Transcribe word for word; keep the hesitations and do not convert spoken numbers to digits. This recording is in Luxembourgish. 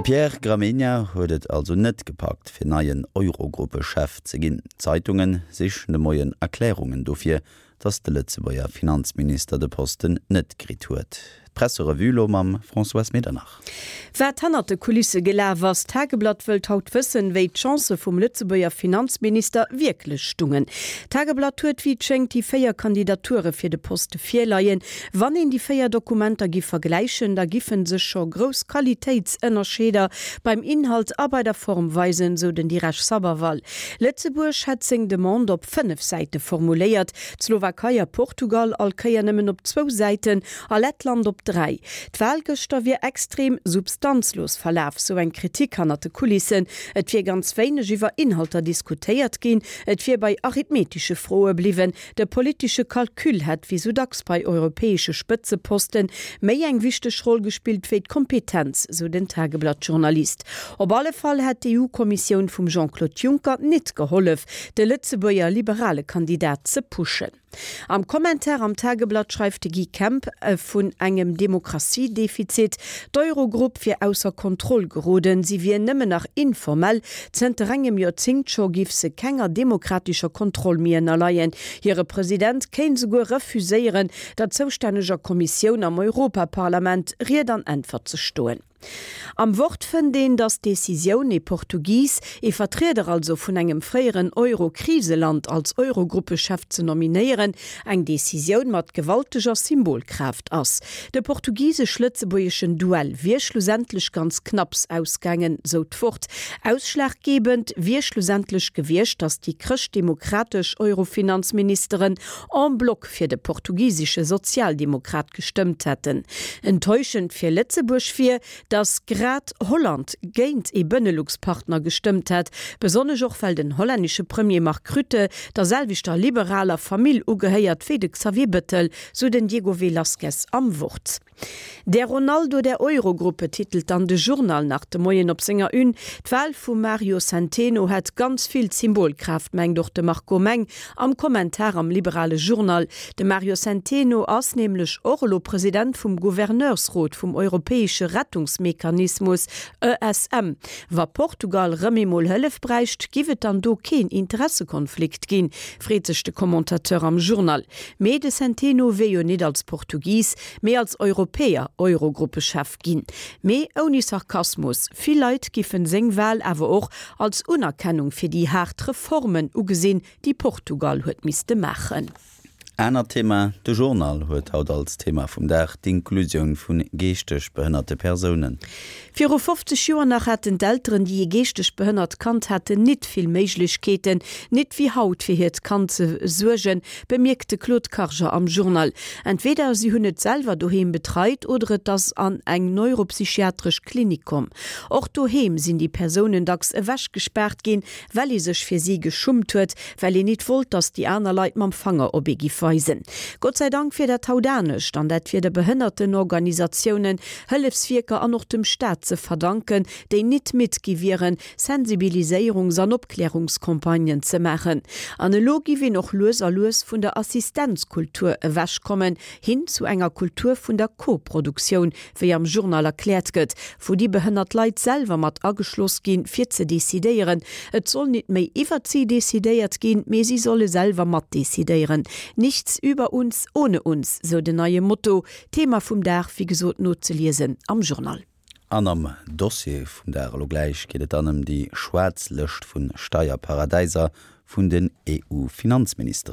Pierre Gramegna huet et also net gepackt, fir neien Eurogruppechef ze ginn. D'Zeitunge sichen de Moien Erklärungen dofir, datt de Lëtzebuerger Finanzminister de Posten net kritt huet. D'Presserevue lo mam Françoise Medernach. Wat hannert de Kulisse gelaf ass, D'Tageblatt wëllt haut wëssen, wéi d'Chancë vum Lëtzebuerger Finanzminister wierklech stungen. D'Tageblatt huet wéi et schéngt déi véier Kandidature fir de Poste virleien. Wann een déi véier Dokumenter giff vergläichen, da giffen sech scho grouss Qualitéitsënnerscheeder beim Inhalt a bei der Form weisen, sou den Diresh Sabharwal. Lëtzebuerg hätt seng Demande op fënnef Säite formuléiert, d'Slowakei a Portugal all Kéier nëmmen op zwou Säiten a Lettland op dräi. D'Wal gëschter wier extrem substanzlos verlaf, sou eng Kritik hannert de Kulissen. Et wier ganz wéineg iwwer Inhalter diskutéiert ginn, et wier bei arithmetesche Froe bliwwen. De politesche Calcul hätt, wéi sou dacks bei europäesche Spëtzeposten, méi eng wichteg Roll gespillt wéi d'Kompetenz, sou den Tageblatt-Journalist. Op alle Fall hätt d'EU-Kommissioun vum Jean-Claude Juncker nit gehollef, de Lëtzebuerger liberale Kandidat ze pushen. Am Kommentar am Tageblatt schreift de Guy Kemp vun engem Demokratiedefizit, d'Eurogrupp wier ausser Kontroll geroden, si wier nëmmen nach informell, zënter engem Joerzéngt scho giff se kenger demokratescher Kontroll méi ënnerleien, hire President kéint souguer refuséieren, der zoustänneger Kommissioun am Europaparlament Ried an Äntwert ze stoen. Am Wort fënnt een, datt d'Decisioun, ee Portugis, ee Vertrieder also vun engem fréieren Euro-Kriseland, als Eurogruppechef ze nominéieren, eng Decisioun mat gewalteger Symbolkraaft ass. De portugisesch-lëtzebuergeschen Duell wier schlussendlech ganz knapps ausgaangen, sou d'Wort. Ausschlaggebend wier schlussendlech gewiescht, datt déi chrëschtdemokratesch Eurofinanzministeren en bloc fir de portugisesche Sozialdemokrat gestëmmt hätten. Enttäuschend fir Lëtzebuerg wier, datt grad Holland géint ee Benelux-Partner gestëmmt hätt, besonnesch och well den hollännesche Premier Mark Rutte der selwechter liberaler Famill ugehéiert wéi de Xavier Bettel, sou den Diego Velázquez am Wort. Der Ronaldo der Eurogruppe titelt dann de Journal nach de Moien op senger Une. D'Wal vum Mario Centeno hätt ganz vill Symbolkraaft, mengt och de Marco Meng am Kommentar am liberale Journal. De Mario Centeno ass nämlech och elo President vum Gouverneursrot vum europäesche Rettungsmechanismus, E S M. Wa Portugal rëm emol Hëllef bräicht, giff et dann do keen Interessekonflikt ginn, freet sech de Commentateur am Journal. Mee de Centeno wier jo nit als Portugis, mee als Europäer Eurogruppechef ginn. Mee ouni Sarkasmus, vill Leit giffen seng Wal awer och als Unerkennung fir déi haart Reformen ugesinn, déi Portugal huet misste maachen. Anert Thema, De Journal huet haut als Thema vum Dag d'Inklusioun vu geeschteg behënnerte Persounen. Viru fofzeg Joer nach haten d'Elteren, déi ee geeschteg behënnert Kand haten, nit vill Méiglechkeeten, nit wéi haut, fir hiert Kand ze suergen, bemierkt de Claude Karger am Journal. Entweder si hunn et selwer doheem betreit oder et ass an eng neuropsychiatresch Klinik komm. Och doheem sinn déi Persounen dacks ewechgespaart ginn, well ee sech fir si geschummt huet, well een nit wollt, datt déi aner Leit mam Fanger op ee giff weisen. Gott sei Dank wier dat haut anescht an dat wier de Behënnertenorganisatiounen, Hëllefswierker an och dem Staat ze verdanken, déi nit midd gi wieren, Sensibiliséierungs an Opklärungscampagnen ze maachen. An elo giff een och lues a lues vun der Assistenzkultur ewechkommen, hin zu enger Kultur vun der Koproduktioun, wéi am Journal erkläert gëtt, wou déi behënnert Leit selwer mat ageschloss ginn, fir ze decidéieren. Et soll nit méi iwwert si decidéiert ginn, mee si solle selwer mat decidéieren. Nichts über uns ohne uns, sou den neie Motto. Thema vum Dag, wéi gesot, nozeliesen am Journal. An am Dossier vum Dag elo gläich geet et dann ëm déi schwaarz Lëscht vu Steierparadäiser vun den E U-Finanzministeren.